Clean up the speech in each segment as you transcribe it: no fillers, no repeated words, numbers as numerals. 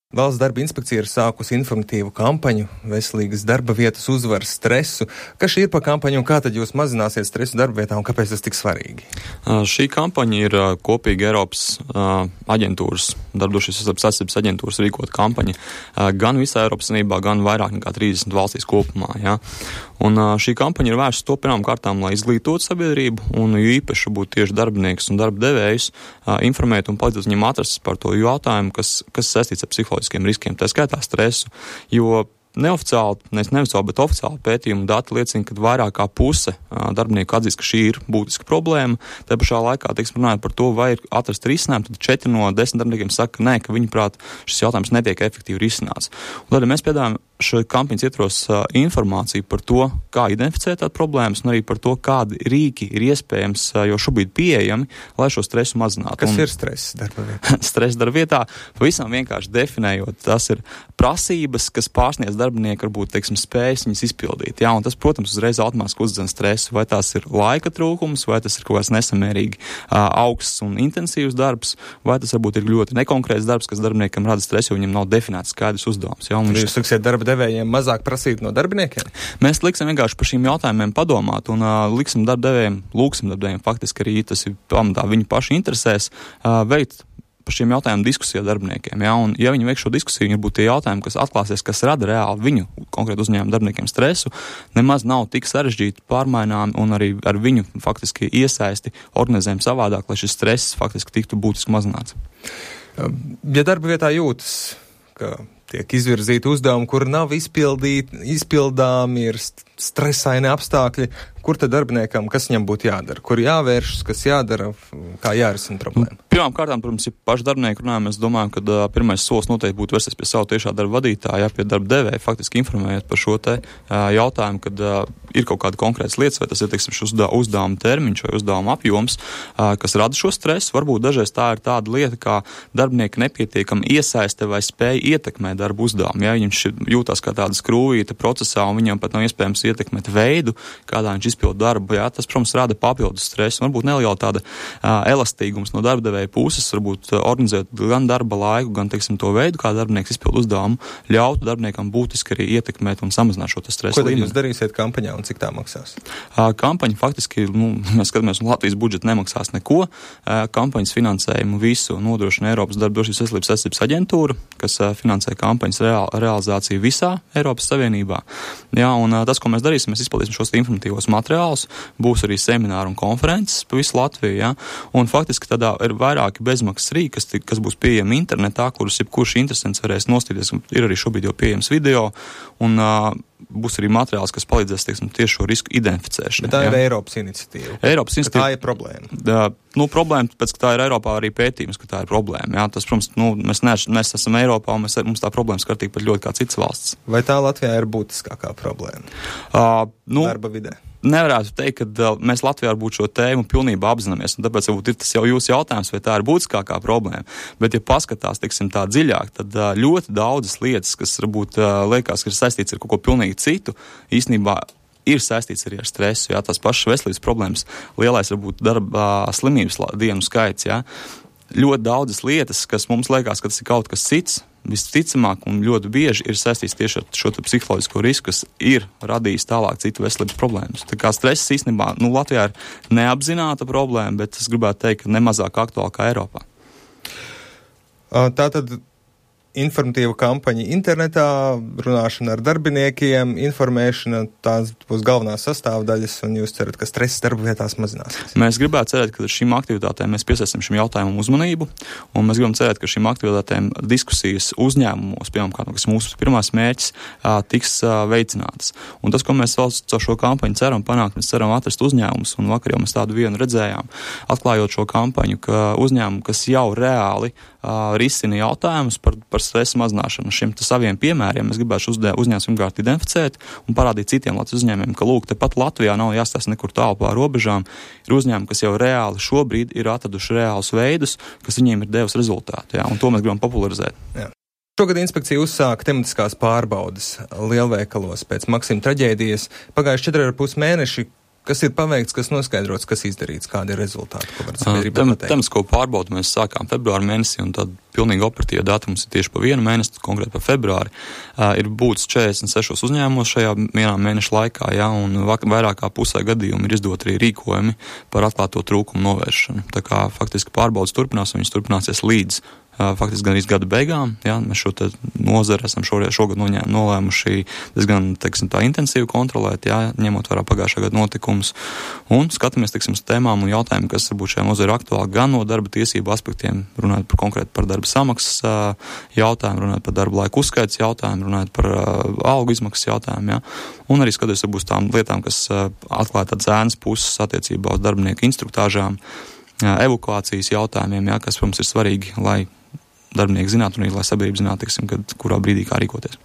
Valsts darba inspekcija ir sākusi informatīvu kampaņu veselīgas darba vietas uzvar stresu. Kas šī ir par kampaņu un kā tad jūs mazināsiet stresu darba vietā un kāpēc tas tik svarīgi? Šī kampaņa ir kopīgi Eiropas aģentūras, Darbdrošības aizsardzības aģentūras rīkot kampaņa gan visā Eiropas Savienībā, gan vairāk nekā 30 valstīs kopumā. Ja? Un šī kampaņa ir vērsta to pirmām kārtām, lai izglītotu sabiedrību un īpaši būtu tieši darbiniekus un darba devējus informēt un palīdzēt viņiem atrast par to jautājumu, kas saistīts ar psiholoģiskiem riskiem, tā skaitā stresu, jo neoficiāli, bet oficiāli pētījumi dati liecina, ka vairāk kā puse darbinieku atzīst, ka šī ir būtiska problēma. Tā pašā laikā, runājot par to, vai ir atrast risinājumu, tad 4 no 10 darbiniekiem saka, ka nē, ka viņuprāt šis jautājums netiek efektīvi risināts. Un tad mēs piedāvājam šo kampaņas ietvaros informāciju par to, kā identificēt tādu problēmas un arī par to, kādi rīki ir iespējams jau šobrīd pieejami, lai šo stresu mazinātu. Kas ir stress darba vietā? Stress darba vietā, pavisam vienkārši definējot, tas ir prasības, kas pārsniedz darbinieku varbūt, spējas viņas izpildīt. Jā, un tas, protams, uzreiz automātiski uzdzen stresu, vai tās ir laika trūkums, vai tas ir kaut kāds nesamērīgi augsts un intensīvs darbs, vai tas varbūt ir ļoti nekonkrēts darbs, kas darbiniekam rada stresu, jo viņam nav definēts skaidrs uzdevums. Jā, jūs liksiet darba devējiem mazāk prasīt no darbiniekiem? Mēs liksim vienkārši par šīm jautājumiem padomāt un lūksim darba devējiem faktiski arī tas ir pamatā viņu pašu interesēs veikt par šiem jautājumiem diskusiju ar darbiniekiem. Ja? Un, ja viņi veik šo diskusiju, viņi būtu tie jautājumi, kas atklāsies, kas rada reāli viņu konkrētu uzņēmumu darbiniekiem stresu, nemaz nav tik sarežģīti pārmainām un arī ar viņu faktiski iesaisti organizējam savādāk, lai šis stress faktiski tiktu būtiski mazināts. Ja darba vietā jūtas, ka tiek izvirzīti uzdevumi, kur nav izpildāmi, ir stresaini apstākļi, kur tad darbiniekam, kas viņam būtu jādara, kur jāvēršas, kas jādara, kā jārisina problēma? Pirmām kārtām, protams, ja paši darbinieki runājam, mēs domājam, ka pirmais solis noteikti būtu vērsties pie savu tiešā darba vadītāja, pie darba devēja, faktiski informējot par šo te jautājumu, kad ir kaut kāda konkrētas lietas, vai tas ir, šis uzdevuma termiņš vai uzdevuma apjoms, kas rada šo stresu. Varbūt dažreiz tā ir tāda lieta, kā darbinieki nepietiekami iesaiste vai spēja ietekmēt darbu uzdevumu. Ja viņš jūtās kā tāda skrūvīta procesā un viņam pat nav iespējams ietekmēt veidu, kādā viņš izpilda darbu, jā, tas, protams, rada papildus stresu. Varbūt neliela tāda elastīgums no darba devēja puses, varbūt organizēt gan darba laiku, gan, to veidu, kā darbinieks izpilda uzdevumu, ļautu darbiniekam būtiski arī ietekmēt un samazināt šo stresu līmeni. Ko jūs darīsiet kampaņā un cik tā maksās? Kampaņa faktiski, mēs skatāmies, un Latvijas budžets nemaksās neko. Kampaņas finansējumu visu nodrošina Eiropas Darbdrošības aizsardzības aģentūra, kas finansē kampaņas realizāciju visā Eiropas Savienībā. Jā, un tas, ko mēs darīsim, mēs izpildīsim šos informatīvos materiālus, būs arī semināri un konferences pa visu Latviju, ja? Un faktiski tādā ir vairāki bezmaksas rīki, kas būs pieejami internetā, kurus jebkurš interesants varēs nostīties. Ir arī šobrīd jau pieejams video, un būs arī materiāls, kas palīdzēs, tieši šo risku identificēšanu. Bet tā ir Eiropas iniciatīva. Tā ir problēma. Problēma, pēc ka tā ir Eiropā arī pētījums, ka tā ir problēma. Jā. Tas, protams, mēs esam Eiropā, un mums tā problēma skartīga pat ļoti kā citas valsts. Vai tā Latvijā ir būtiskākā problēma? Darba vidē? Nevarētu teikt, ka mēs Latvijā varbūt šo tēmu pilnībā apzināmies, un tāpēc varbūt ir tas jau jūsu jautājums, vai tā ir būtiskākā problēma. Bet, ja paskatās, tā dziļāk, tad ļoti daudzas lietas, kas varbūt liekas, ka ir saistīts ar kaut ko pilnīgi citu, īstenībā ir saistīts arī ar stresu, jā, tās pašas veselības problēmas, lielais varbūt darba slimības dienu skaits, jā. Ļoti daudzas lietas, kas mums liekas, ka tas ir kaut kas cits, visticamāk un ļoti bieži ir saistīts tieši ar šo psiholoģisko risku, kas ir radījis tālāk citu veselības problēmas. Tā kā stress īstenībā, Latvijā ir neapzināta problēma, bet es gribētu teikt, ka nemazāk aktuāla kā Eiropā. Tātad informatīva kampaņa internetā, runāšana ar darbiniekiem, informēšana, tās būs galvenās sastāvdaļas, un jūs cerat, ka stress darba vietās mazināsies? Mēs gribētu cerēt, ka šīm aktivitātēm mēs piesaistam šim jautājumam uzmanību, un mēs gribam cerēt, ka šīm aktivitātēm diskusijas uzņēmumos, piemēram, kas mūsu pirmās mērķis, tiks veicinātas. Un tas, ko mēs vēl caur šo kampaņu ceram panākt, mēs ceram atrast uzņēmumus, un vakar jau mēs tādu vienu redzējām, atklājot šo kampaņu, ka uzņēmumi, kas jau reāli risina jautājumus par stresa mazināšanu. Šiem saviem piemēriem mēs gribētu uzņēmumus pirmkārt identificēt un parādīt citiem Latvijas uzņēmumiem, ka lūk, tepat Latvijā nav jāstāsta nekur tālu pār robežām. Ir uzņēmumi, kas jau reāli šobrīd ir atraduši reālus veidus, kas viņiem ir devis rezultātu, jā, un to mēs gribam popularizēt. Jā. Šogad inspekcija uzsāka tematiskās pārbaudes lielveikalos pēc Maksima traģēdijas. Pagājuši 4,5 mēneši. kas ir paveikts, kas noskaidrots, kas izdarīts, kādi ir rezultāti, ko var sabiedrībā pateikt? Temps, ko pārbaudu, mēs sākām februāra mēnesī, un tad pilnīgi operatīva datums ir tieši pa vienu mēnesi, konkrēti pa februāri. Ir būts 46 uzņēmumos šajā vienā mēneša laikā, ja, un vairāk kā pusē gadījumu ir izdot arī rīkojumi par atklāto trūkumu novēršanu. Tā kā faktiski pārbaudas turpinās, un viņas turpināsies līdz faktiski gan gada beigām. Ja, mēs šo nozari esam šogad nolēmuši diezgan, teiksim, tā intensīvi kontrolēt, ja, ņemot vērā pagājušā gada notikumus. Un skatāmies, teiksim, uz tēmām un jautājumiem, kas varbūt šajā nozari aktuāli gan no darba tiesību aspektiem, runājot konkrēti par darba samaksas jautājumu, runājot par darba laika uzskaits jautājumu, runājot par algu izmaksas jautājumu. Ja, un arī skatoties varbūt tām lietām, kas atklāja tādas ēnas puses attiecībā uz darbinieku instruktāžām, evakuācijas jautājumiem, ja, kas, protams, ir svarīgi, lai darbinieki zinātu un arī, lai sabiedrība zinātu, teiksim, kurā brīdī kā rīkoties.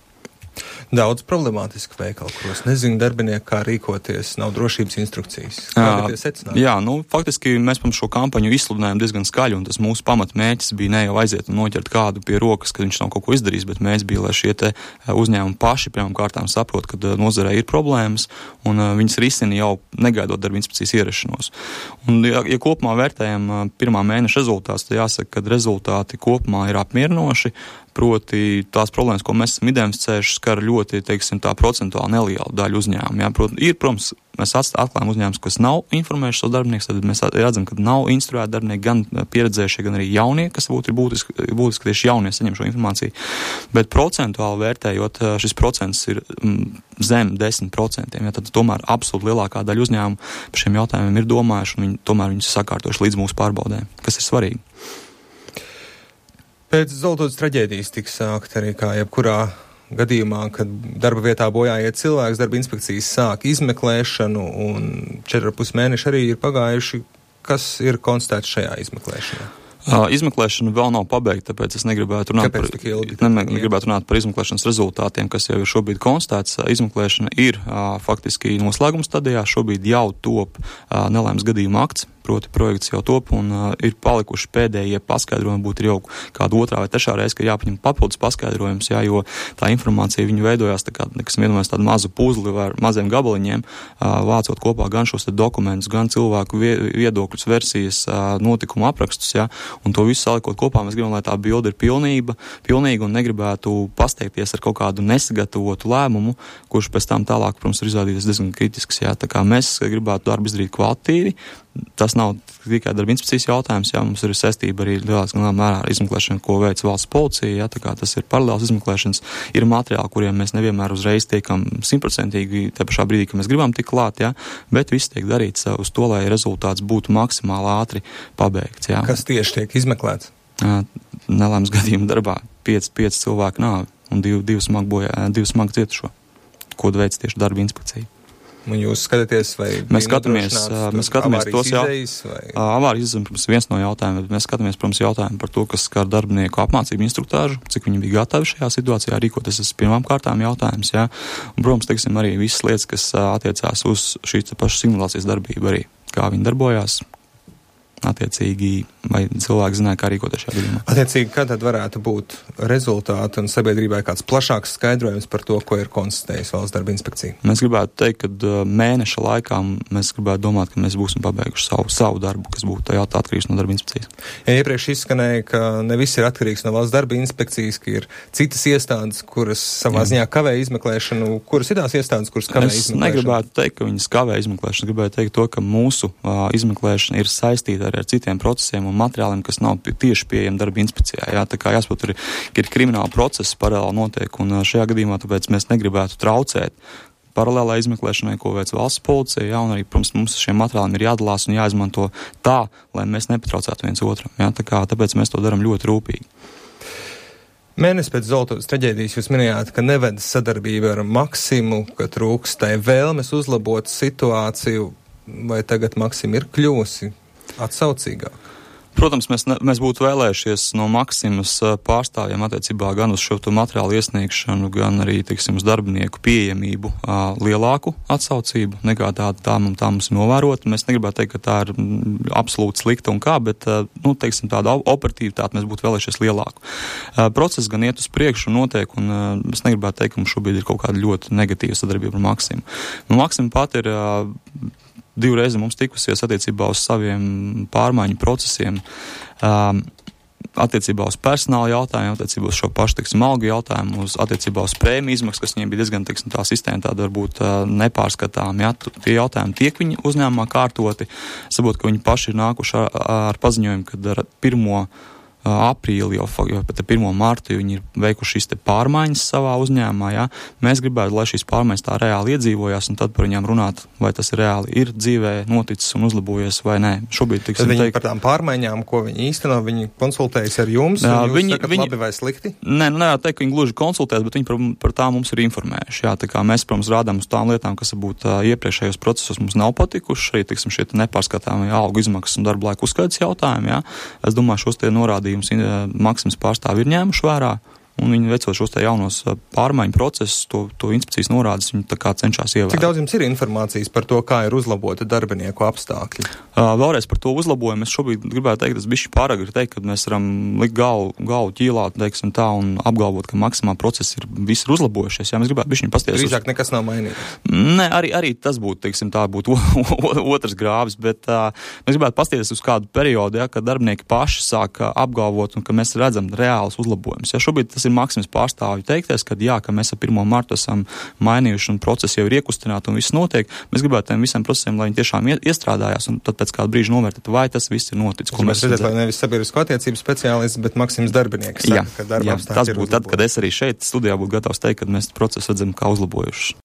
Daudz problemātisku veikalu, kuros nezinu darbinieki, kā rīkoties, nav drošības instrukcijas. Kādi tie secinājumi? Jā, faktiski mēs pirms šo kampaņu izsludinājām diezgan skaļi, un tas mūsu pamatmērķis bija ne jau aiziet un noķert kādu pie rokas, kad viņš nav kaut ko izdarījis, bet mērķis bija, lai šie te uzņēmumi paši pirmām kārtām saprot, ka nozarē ir problēmas, un viņas risina jau negaidot darba inspekcijas ierašanos. Un, ja kopumā vērtējam pirmā mēneša rezultātus, tad jāsaka, ka rezultāti kopumā ir apmierinoši. Proti tās problēmas, ko mēs esam identificējuši, skar ļoti, teiksim, tā procentuāli nelielu daļu uzņēmumu. Jā, protams, mēs atklājam uzņēmumus, kas nav informējuši savus darbiniekus, tad mēs redzam, ka nav instruēti darbinieki, gan pieredzējušie, gan arī jaunie, kas būtu būtiski tieši jaunie saņem šo informāciju. Bet procentuāli vērtējot, šis procents ir zem 10%. Ja, tad tomēr absolūti lielākā daļa uzņēmumu par šiem jautājumiem ir domājuši, un tomēr viņus sakārtojuši līdz mūsu pārbaudēm, kas ir svarīgi. Pēc Zoltotas traģēdijas tika sākt arī kā jebkurā gadījumā, kad darba vietā bojāiet cilvēks, darba inspekcijas sāk izmeklēšanu, un 4,5 mēneši arī ir pagājuši. Kas ir konstatēts šajā izmeklēšanā? Izmeklēšana vēl nav pabeigta, tāpēc es negribētu runāt par izmeklēšanas rezultātiem, kas jau ir šobrīd konstatēts. Izmeklēšana ir faktiski noslēguma stadijā, šobrīd jau top nelaimes gadījuma akts, proti projekts jau top, un ir palikuši pēdējie paskaidrojumi, būtu jau kāda otrā vai trešā reize, ka jāpaņem papildus paskaidrojums, jā, jo tā informācija viņu veidojās tā kā, kas vienmēr tādu mazu puzli ar maziem gabaliņiem, vācot kopā gan šos dokumentus, gan cilvēku viedokļus, versijas, notikumu aprakstus, jā, un to visu salikot kopā, mēs gribam, lai tā bilde ir pilnīga un negribētu pasteikties ar kaut kādu nesagatavotu lēmumu, kurš pēc tam tālāk, protams, ir izrādījies diezgan kritisks, jā, tā kā mēs gribētu darbu izdarīt kvalitīvi. Tas nav tikai darba inspekcijas jautājums, jā, mums ir saistība arī lielā mērā ar izmeklēšanu, ko veic valsts policija, jā, tā kā tas ir paralēls izmeklēšanas, ir materiāli, kuriem mēs nevienmēr uzreiz tiekam 100% te pašā brīdī, ka mēs gribam tik klāt, jā, bet viss tiek darīts uz to, lai rezultāts būtu maksimāli ātri pabeigts, jā. Kas tieši tiek izmeklēts? Nelaimes gadījuma darbā 5 cilvēku nāvi un 2 smagi cietušo, ko veic tieši darba inspekcija. Un jūs skatāties, vai mēs skatāmies tos avārijas izdevumus, protams, viens no jautājumiem, bet mēs skatāmies, protams, jautājumu par to, kas skar darbinieku apmācību instruktāžu, cik viņi bija gatavi šajā situācijā rīkoties, tas pirmām kārtām jautājums, jā. Un, protams, teiksim, arī visas lietas, kas attiecās uz šīs pašas simulācijas darbību arī, kā viņi darbojās, attiecīgi, vai cilvēki zināja, kā rīkoties šajā gadījumā. Attiecīgi, kad tad varētu būt rezultāti un sabiedrībai kāds plašāks skaidrojums par to, ko ir konstatējis valsts darba inspekcija? Mēs gribētu teikt, ka mēneša laikā mēs gribētu domāt, ka mēs būsim pabeiguši savu darbu, kas būtu atkarīgs no darba inspekcijas. Ja iepriekš izskanēja, ka ne viss ir atkarīgs no valsts darba inspekcijas, ka ir citas iestādes, kuras savā ziņā kavē izmeklēšanu, kuras ir tās iestādes, kuras kavē izmeklēšanu? Es negribētu teikt, ka viņas kavē izmeklēšanu, gribētu teikt to, ka mūsu izmeklēšana ir saistīta ar citiem procesiem un materiāliem, kas nav tieši pieejami darba inspekcijā. Jā, tā kā jāsaprot, ir krimināla process paralēli notiek, un šajā gadījumā tāpēc mēs negribētu traucēt paralēlā izmeklēšanai, ko veic valsts policija, jā, un arī, protams, mums šiem materiāliem ir jādalās un jāizmanto tā, lai mēs nepatraucētu viens otram. Jā, tāpēc mēs to darām ļoti rūpīgi. Mēnesi pēc Zoltotas traģēdijas jūs minējāt, ka neved sadarbība ar Maksimu, ka trūkstai vēlmes uzlabot situāciju, vai tagad Maksima ir kļuvusi atsaucīgāk? Protams, mēs būtu vēlējušies no Maksimas pārstāvjiem attiecībā gan uz šo materiālu iesniegšanu, gan arī, teiksim, uz darbinieku pieejamību lielāku atsaucību, nekā tā mums ir novērota. Mēs negribētu teikt, ka tā ir absolūti slikta un kā, bet, teiksim, tāda operatīvitāte mēs būtu vēlējušies lielāku. Process gan iet uz priekšu un notiek, un es negribētu teikt, ka mums šobrīd ir kaut kāda ļoti negatīva sadarbība ar Maksimu. Maksima pat ir 2 mums tikusies attiecībā uz saviem pārmaiņu procesiem, attiecībā uz personāla jautājumu, attiecībā uz šo pašu, algu jautājumu, attiecībā uz prēmiju izmaksu, kas viņiem bija diezgan, tā sistēma tāda varbūt nepārskatām, ja, tie jautājumi tiek viņi uzņēmumā kārtoti, saprot, ka viņi paši ir nākuši ar paziņojumu, kad ar 1. aprīli, jau pat 1. martu viņi ir veikuši šīs te pārmaiņas savā uzņēmumā, ja. Mēs gribētu, lai šīs pārmaiņas tā reāli iedzīvojās un tad par viņām runāt, vai tas reāli ir dzīvē noticis un uzlabojies vai nē. Šobrīd, tad viņi par tām pārmaiņām, ko viņi īsteno, viņi konsultējas ar jums, un jūs sakat labi vai slikti? Nē, nevar teikt, ka viņi gluži konsultēs, bet viņi par tām mums ir informējuši, jā, tā kā mēs, protams, rādām uz tām lietām, kas varbūt iepriekšējos procesos mums nav patikuši, arī, šie nepārskatāmie algu izmaksas un darba laika uzskaitas jautājumi, jā. Es domāju, šos tie norādījumi Maksimas pārstāvi ir ņēmuši vērā, un viņi veicot šos te jaunos pārmaiņu procesus, to inspekcijas norādes, viņi tā kā cenšas ievērot. Cik daudz jums ir informācijas par to, kā ir uzlabota darbinieku apstākļi? Vēlreiz par to uzlabojumu. Es šobrīd gribētu teikt, tas bišķi pāragri teikt, kad mēs varam likt galvu ķīlāt, teiksim tā, un apgalvot, ka Maksimā procesi visi ir uzlabojušies. Jā, mēs gribētu bišķiņ pasties. Drīzāk nekas nav mainījies. Nē, arī tas būtu, teiksim tā, būtu otrs grāvis, bet mēs gribētu pasties uz kādu periodu, ja, kad darbinieki paši sāk apgalvot un ka mēs redzam reālus uzlabojumus. Ja šobrīd tas ir Maksimas pārstāvju teikties, ka jā, ka mēs ar 1. martu esam mainījuši un procesi jau ir iekustināti un viss notiek. Mēs gribētu tiem visiem procesiem, lai viņi tiešām iestrādājās un tad pēc kāda brīža novērtēt, vai tas viss ir noticis. Ko mēs redzētu, lai nevis sabiedrisko attiecību speciālists, bet Maksimas darbinieks. Jā, tas būtu tad, kad es arī šeit studijā būtu gatavs teikt, ka mēs procesu redzam kā uzlabojuši.